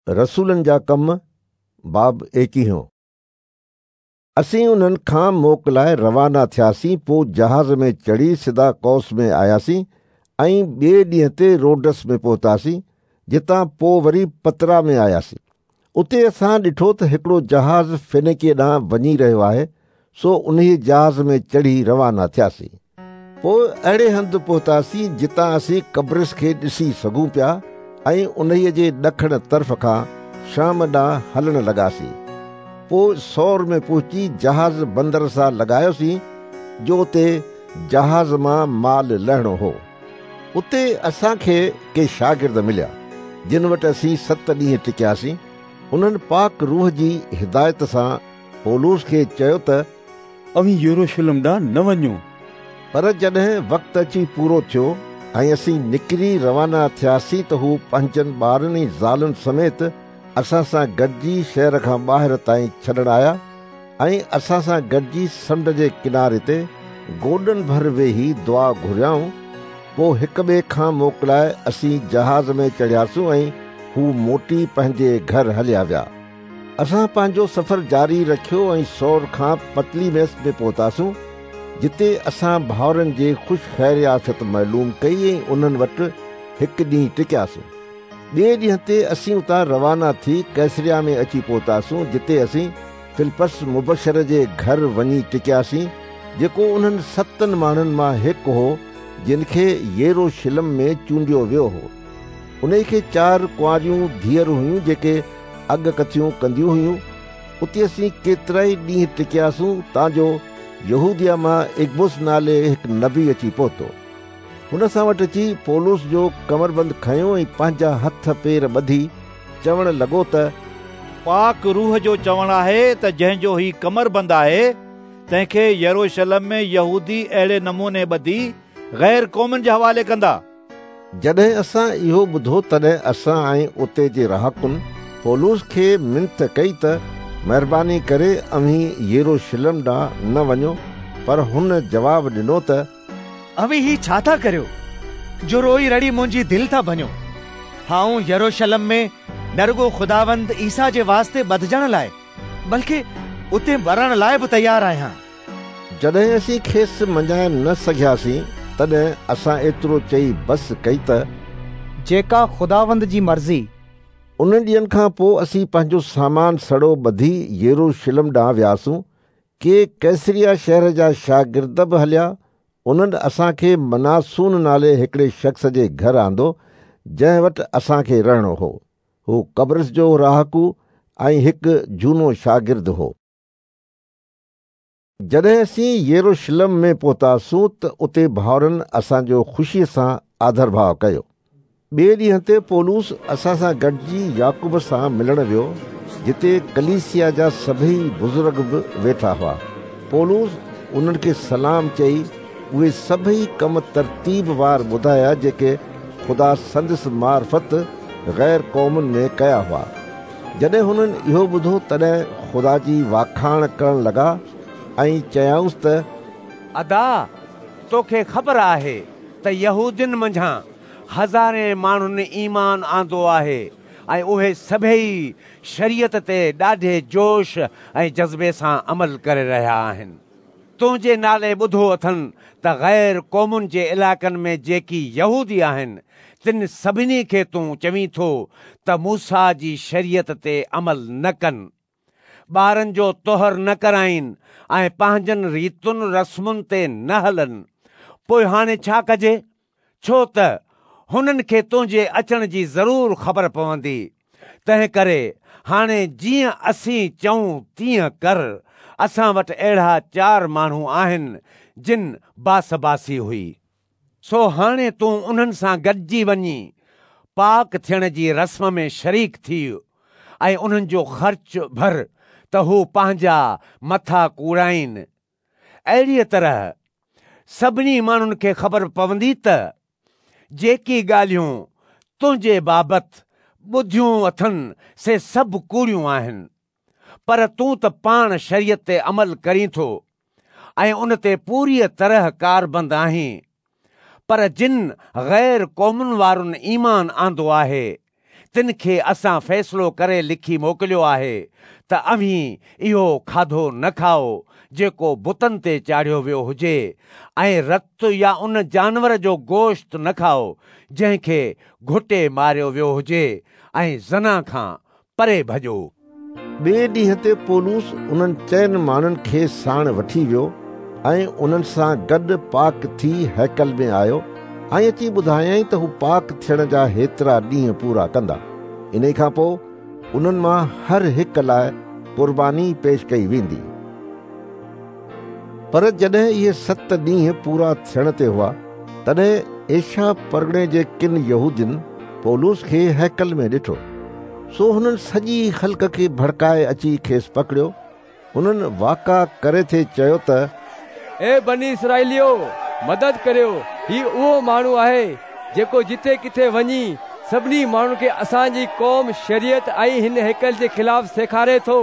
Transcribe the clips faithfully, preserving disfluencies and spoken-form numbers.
रसूलनि जा कम बाब एकवीहों। असीं उन्हनि खां मोकिलाए रवाना थियासीं, पोइ जहाज़ में चढ़ी सिधा कौस में आयासीं ऐं ॿिए ॾींहं ते रोडस में पहुतासीं, जितां पोइ वरी पतरा में आयासीं। उते असां ॾिठो त हिकिड़ो जहाज़ फिनिकिया ॾांहुं वञी रहियो आहे, सो उन जहाज़ में चढ़ी रवाना थियासीं। पोइ अहिड़े हंधि पहुतासीं जितां असीं कब्रिस खे ॾिसी सघूं पिया ऐं उन जे ॾखण तरफ़ खां शाम ॾांहुं हलण लॻासीं। पोइ सौर में पहुची जहाज़ बंदर सां लॻायोसीं, जो उते जहाज़ मां माल लहणो हो। उते असांखे के शागिर्द मिलिया, जिन वटि असीं सत ॾींहं टिकियासीं। उन्हनि पाक रूह जी हिदायत सां पौलुस खे चयो त अव्हीं यरूशलेम ॾांहुं न वञो। पर जॾहिं वक़्तु अची पूरो थियो ऐं असीं निकिरी रवाना थियासीं त हू पंहिंजनि ॿारनि ऐं ज़ालुनि समेत असां सां गॾिजी शहर खां ॿाहिरि ताईं छॾण आया ऐं असां सां गॾिजी समुंड जे किनारे ते गोॾनि भर वेही दुआ घुरियाऊं। पोइ हिक ॿिए खां मोकिलाए असीं जहाज़ में चढ़ियासूं ऐं हू मोटी पंहिंजे घर हलिया विया। असां पंहिंजो सफ़र जारी रखियो ऐं सौर खां पतलीमेस में पहुतासूं, जिते असां भाउरनि जे ख़ुशि ख़ैर आफ़ियत मालूम कई ऐं उन्हनि वटि हिकु ॾींहुं टिकियासीं। ॿिए ॾींहं ते असीं उतां रवाना थी कैसरिया में अची पहुतासूं, जिते असीं फिलिपस मुबशर जे घर वञी टिकियासीं, जेको उन्हनि सतनि माण्हुनि मां हिकु हो जिन खे यरूशलेम में चूंडियो वियो हो। उन खे चारि कुंवारियूं धीअर हुयूं, जेके अॻकथियूं कंदियूं हुयूं। उते असीं केतिरा ई ॾींहं टिकियासूं, तांजो यहूदिया मां इग्बुस नाले हिकु नबी अची पहुतो। हुन सां वटि अची पौलुस जो कमरबंद खयो ऐं पंहिंजा हथ पेर ॿधी चवण लॻो त पाक रूह जो चवणु आहे त जंहिंजो ही कमरबंद आहे तंहिंखे यरूशलेम में यहूदी अहिड़े नमूने ॿधी गैर क़ौमुनि जे हवाले कंदा। जॾहिं असां इहो ॿुधो तॾहिं असां ऐं उते जे रहाकुनि पौलुस खे मिंत कई त महिरबानी करे अव्हीं यरूशलेम ॾांहुं न वञो। पर हुन जवाबु ॾिनो त अव्हीं ही छा था करियो जो रोई रड़ी मुंहिंजी दिलि था भञो? आउं यरूशलेम में न रुगो ख़ुदावंद ईसा जे वास्ते ॿधजण लाइ बल्कि उते मरण लाइ बि तयारु आहियां। जॾहिं असीं खेसि मञाए न सघियासीं तॾहिं असां एतिरो चई बसि कई त जेका ख़ुदावंद जी मर्ज़ी। उन्हनि ॾींहनि खां पोइ असीं पंहिंजो सामान सड़ो ॿधी यरूशलेम ॾांहुं वियासूं। के कैसरिया शहर जा शागिर्द बि हलिया। उन्हनि असांखे मनासून नाले हिकिड़े शख़्स जे घर आंदो, जंहिं वटि असांखे रहणो हो। हू कब्रिस जो रहाकू ऐं हिकु जूनो शागिर्द हो। जॾहिं असीं यरूशलेम में पहुतासूं त उते भाउरनि असांजो ख़ुशीअ सां आदर भाव कयो। ॿिए ॾींहं ते पौलुस असां सां गॾिजी याकूब सां मिलण वियो, जिते कलीसिया जा सभई बुज़ुर्ग बि वेठा हुआ। पौलुस उन्हनि खे सलाम चई उहे सभई कम तरतीब वार ॿुधाया जेके ख़ुदा संदसि मार्फ़त गैर क़ौमुनि में कया हुआ। जॾहिं हुननि इहो ॿुधो तॾहिं ख़ुदा जी वाखाण करण लॻा ऐं चयाऊंसि त अदा, तोखे ख़बर आहे त यहूदियुनि मंझां हज़ारे माण्हुनि ईमान आंदो आहे ऐं उहे सभई शरीयत ते ॾाढे जोश ऐं जज़्बे सां अमल करे रहिया आहिनि। तुंहिंजे नाले ॿुधो अथनि त गैर क़ौमुनि जे इलाइक़नि में जेकी यहूदी आहिनि तिन सभिनी खे तूं चवीं थो त मूसा जी शरीयत ते अमल न कनि, ॿारनि जो तोहर न कराइनि ऐं पंहिंजनि रीतुनि रस्मुनि ते न हलनि। पोइ हाणे छा कजे? छो त हुननि खे तुंहिंजे अचण जी ज़रूरु ख़बर पवंदी। तंहिं करे हाणे जीअं असीं चऊं तीअं कर। असां वटि अहिड़ा चारि माण्हू आहिनि जिन बासबासी हुई, सो हाणे तूं उन्हनि सां गॾिजी वञी पाक थियण जी रस्म में शरीक थी ऐं उन्हनि जो ख़र्च भर त हू पंहिंजा मथा कूड़ाइनि। अहिड़ीअ तरह सभिनी माण्हुनि खे ख़बर पवंदी त जेकी ॻाल्हियूं तुंहिंजे बाबति ॿुधियूं अथनि से सभु कूड़ियूं आहिनि। पर तूं त पाण शरीयत ते अमल करीं थो ऐं उन ते पूरीअ तरह कारबंद आहीं। पर जिन गैर क़ौमुनि वारनि ईमान आंदो आहे तिन खे असां फ़ैसिलो करे लिखी मोकिलियो आहे त अव्हीं इहो खाधो न खाओ जेको बुतनि ते चाढ़ियो वियो हुजे ऐं रत या उन जानवर जो गोश्त न खाओ जंहिंखे घुटे मारियो वियो हुजे ऐं ज़ना खां परे भॼो। ॿिए ॾींहं ते पौलुस उन्हनि चइनि माण्हुनि खे साण वठी वियो ऐं उन्हनि सां गॾु पाक थी हैकल में आयो ऐं अची ॿुधायाईं त हू पाक थियण जा हेतिरा ॾींहं पूरा कंदा। इन खां पोइ उन्हनि मां हर हिक लाइ क़ुर्बानी पेश कई वेंदी। पर जॾहिं इहे सत ॾींहं पूरा थियण ते हुआ तॾहिं एशिया परगणे जे किन यहूदियुनि पौलुस खे हैकल में ॾिठो। सो हुननि सॼी ख़ल्क खे भड़काए अची खेसि पकड़ियो। हुननि वाका करे थे चयो त ए बनी इसराइलियो, मदद करियो, ही उहो माण्हू आहे जेको जिथे किथे वञी सभिनी माण्हुनि खे असांजी क़ौम, शरीयत ऐं हिन हैकल जे ख़िलाफ़ सेखारे थो।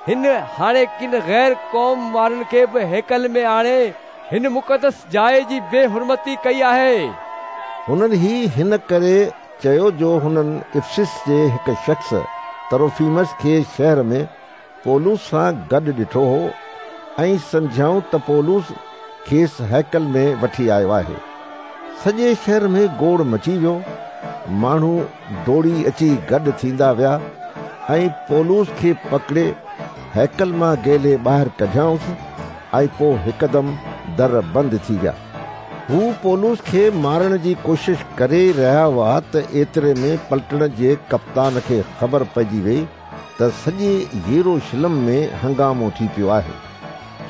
हिन हाणे किन ग़ैर क़ौम वारनि खे बि हैकल में आणे हिन मुक़दस जाइ जी बेहुरमती कई आहे। हुननि ही हिन करे चयो जो हुननि इफ्सिस जे हिकु शख़्स तरोफीमस खे शहर में पौलुस सां गॾु ॾिठो हो ऐं सम्झाऊं त पौलुस खेसि हैकल में वठी आयो आहे। सॼे शहर में गोड़ मची वियो। माण्हू दौड़ी अची गॾु थींदा विया ऐं पौलुस खे पकड़े हैकल मां गेले ॿाहिरि कढियाऊंसि ऐं पोइ हिकदमि दर बंदि थी विया। हू पौलुस खे मारण जी कोशिश करे रहिया हुआ त एतिरे में पलटण जे कप्तान खे ख़बर पइजी वई त सॼे यरूशलेम में हंगामो थी पियो आहे।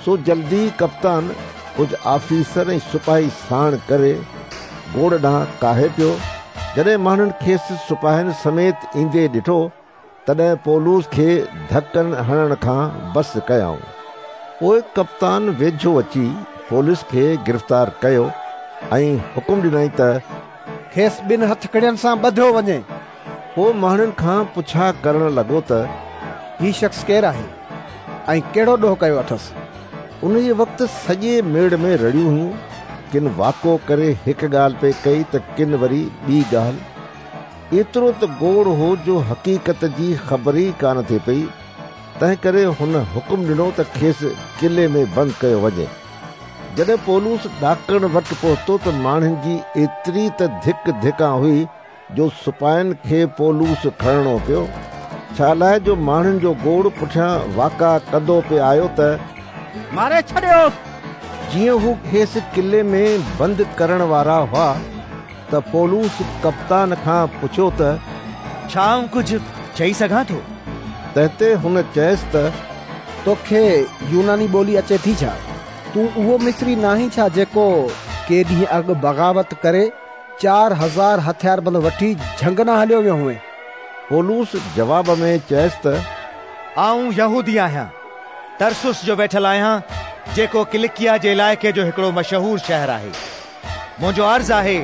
सो जल्दी कप्तान कुझु आफीसर ऐं सिपाही साण करे गोड़ ॾांहुं काहे पियो। जॾहिं माण्हुनि खेसि सिपाहियुनि समेत ईंदे ॾिठो तॾहिं पौलुस खे धकनि हणण खां बसि कयाऊं। पोइ कप्तान वेझो अची पौलुस खे गिरफ़्तार कयो ऐं हुकुम ॾिनई त खेसि ॿिनि हथकड़ियुनि सां ॿधियो वञे। पोइ माण्हुनि खां पुछा करण लॻो त ही शख़्स केरु आहे ऐं कहिड़ो ॾोह कयो अथसि। उन वक़्तु सॼे मेड़ में रड़ियूं हुयूं। किन वाको करे हिकु ॻाल्हि पई कई त किन वरी ॿी ॻाल्हि। एतिरो त गोड़ हो जो हक़ीक़त जी ख़बर ई कान थी पई। तंहिं करे हुन हुकुम ॾिनो त खेसि किले में बंदि कयो वञे। जॾहिं पौलुस ॾाकण वटि पहुतो त माण्हुनि जी एतिरी त धिक धिका हुई जो सिपाहियुनि खे पौलुस खणणो पियो। छा लाइ जो माण्हुनि जो गोड़ पुठियां वाका कंदो पियो आयो त मारे छॾियो। जीअं हू खेसि किले में बंदि करण वारा हुआ त पौलुस कप्तान खां पुछियो त छा आउं कुझु चई सघां थो? तंहिं ते हुन चयसि त तोखे यूनानी ॿोली अचे थी छा? तूं उहो मिस्री नाहीं छा जेको के ॾींहं अॻु बग़ावत करे चार हज़ार हथियारबंद वठी झंग न हलियो वियो हुए? पौलुस जवाब में चयसि त आउं यहूदी आहियां, तरसुस जो वेठल आहियां, जेको किलिकिया जे इलाइक़े जो हिकिड़ो मशहूर शहर आहे। मुंहिंजो अर्ज़ आहे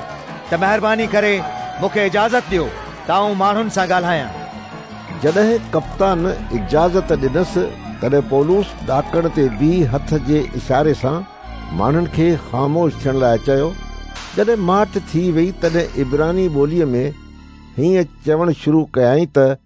त महिरबानी करे मूंखे इजाज़त ॾियो त आउं माण्हुनि सां ॻाल्हायां। जॾहिं कप्तान इजाज़त ॾिनसि तॾहिं पौलुस ॾाकण ते बीह हथ जे इशारे सां माण्हुनि खे ख़ामोश थियण लाइ चयो। जॾहिं माठ थी वई तॾहिं इब्रानी ॿोलीअ में हीअं चवणु शुरू कयाईं त